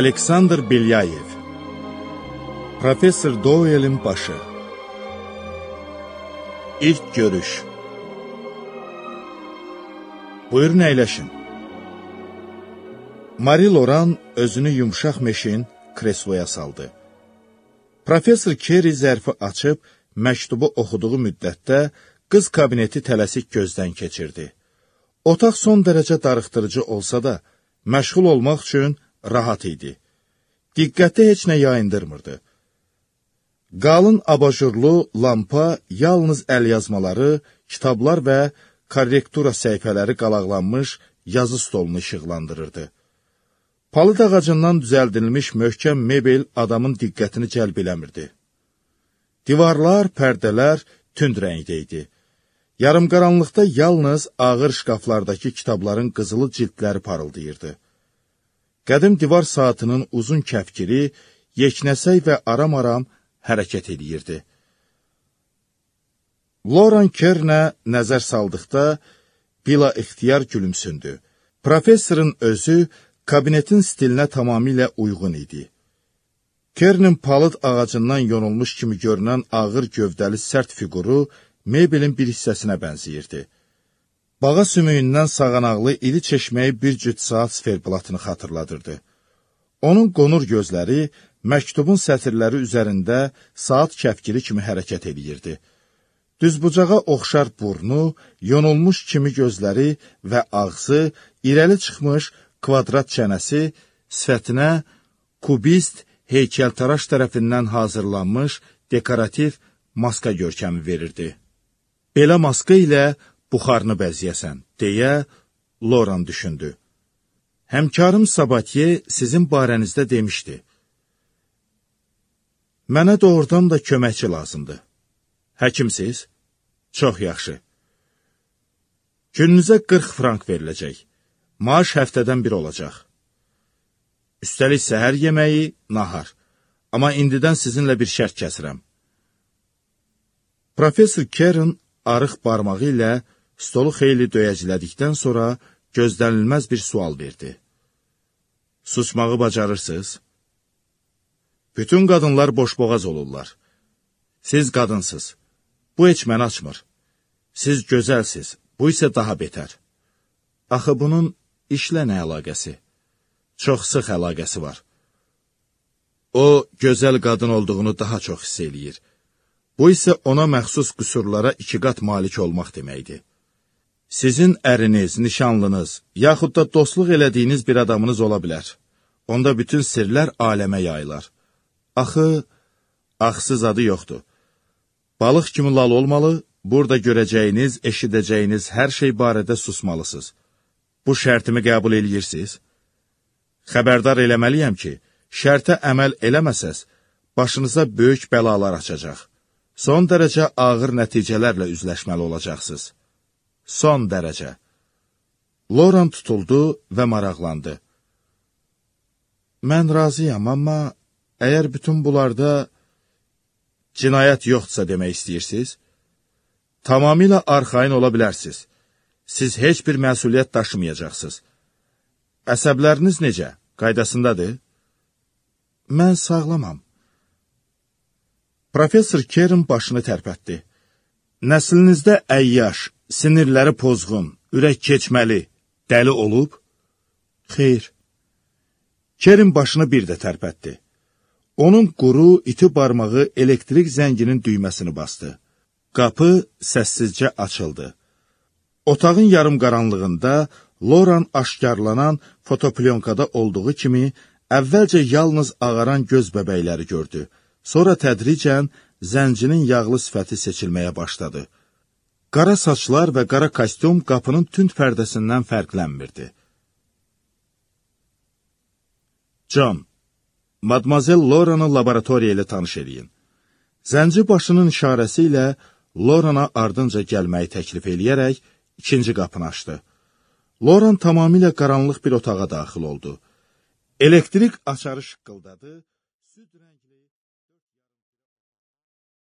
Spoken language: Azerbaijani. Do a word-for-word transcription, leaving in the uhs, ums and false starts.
Aleksandr Belyayev Professor Doyle'in başı İlk görüş Buyurun əyləşin. Marie Loran özünü yumşaq meşin kresloya saldı. Professor Kerry zərfi açıb, məktubu oxuduğu müddətdə qız kabineti tələsik gözdən keçirdi. Otaq son dərəcə darıxdırıcı olsa da, məşğul olmaq üçün rahat idi. Diqqəti heç nə yayındırmırdı. Qalın abajurlu lampa yalnız əlyazmaları, kitablar və korrektura səhifələri qalaqlanmış yazı stolunu işıqlandırırdı. Palıd ağacından düzəldilmiş möhkəm mebel adamın diqqətini cəlb eləmirdi. Divarlar, pərdələr tünd rəngdə idi. Yarımqaranlıqda yalnız ağır şkaflardakı kitabların qızılı cildləri parıldayırdı. Qədim divar saatının uzun kəfkiri, yeknəsək və aram-aram hərəkət edirdi. Loran Kernə nəzər saldıqda bila ixtiyar gülümsündü. Professorun özü kabinetin stilinə tamamilə uyğun idi. Kernin palıd ağacından yonulmuş kimi görünən ağır gövdəli sərt fiquru mebelin bir hissəsinə bənziyirdi. Bağa sümüyündən sağanaqlı iri çeşməyi bir cüt saat sferblatını xatırladırdı. Onun qonur gözləri məktubun sətirləri üzərində saat kəfkiri kimi hərəkət edirdi. Düzbucağa oxşar burnu, yonulmuş kimi gözləri və ağzı, irəli çıxmış kvadrat çənəsi sifətinə kubist heykəltaraş tərəfindən hazırlanmış dekorativ maska görkəmi verirdi. Belə maska ilə buxarını bəziyəsən, deyə Loran düşündü. Həmkarım Sabatiye sizin barənizdə demişdi. Mənə doğrudan da köməkçi lazımdır. Həkimsiz? Çox yaxşı. Gününüzə qırx frank veriləcək. Maaş həftədən bir olacaq. Üstəlik səhər yeməyi, nahar. Amma indidən sizinlə bir şərt kəsirəm. Professor Kern arıq barmağı ilə stolu xeyli döyəclədikdən sonra gözlənilməz bir sual verdi. Susmağı bacarırsınız? Bütün qadınlar boşboğaz olurlar. Siz qadınsız. Bu heç məni açmır. Siz gözəlsiz, bu isə daha betər. Axı bunun işlə nə əlaqəsi? Çox sıx əlaqəsi var. O, gözəl qadın olduğunu daha çox hiss eləyir. Bu isə ona məxsus qüsurlara iki qat malik olmaq deməkdir. Sizin əriniz, nişanlınız, yaxud da dostluq elədiyiniz bir adamınız ola bilər. Onda bütün sirlər aləmə yayılar. Axı, axsız adı yoxdur. Balıq kimi lal olmalı, burada görəcəyiniz, eşidəcəyiniz hər şey barədə susmalısınız. Bu şərtimi qəbul eləyirsiniz? Xəbərdar eləməliyəm ki, şərtə əməl eləməsəz, başınıza böyük bəlalar açacaq. Son dərəcə ağır nəticələrlə üzləşməli olacaqsınız. Son dərəcə. Loran tutuldu və maraqlandı. Mən razıyam, amma əgər bütün bunlarda cinayət yoxdursa demək istəyirsiniz, tamamilə arxayın ola bilərsiniz. Siz heç bir məsuliyyət daşımayacaqsınız. Əsəbləriniz necə? Qaydasındadır? Mən sağlamam. Professor Kern başını tərpətdi. Nəslinizdə əyyaş, sinirləri pozğun, ürək keçməli, dəli olub? Xeyr. Kern başını bir də tərpətdi. Onun quru, iti barmağı elektrik zənginin düyməsini bastı. Qapı səssizcə açıldı. Otağın yarım qaranlığında Loran aşkarlanan fotoplyonqada olduğu kimi əvvəlcə yalnız ağaran göz bəbəkləri gördü. Sonra tədricən zəncinin yağlı sifəti seçilməyə başladı. Qara saçlar və qara kostyum qapının tünd pərdəsindən fərqlənmirdi. John, Madmazel Loran'ı laboratoriya ilə tanış edin. Zənci başının işarəsi ilə Loran'a ardınca gəlməyi təklif eləyərək ikinci qapını açdı. Loran tamamilə qaranlıq bir otağa daxil oldu. Elektrik açarı şıqqıldadı. Süd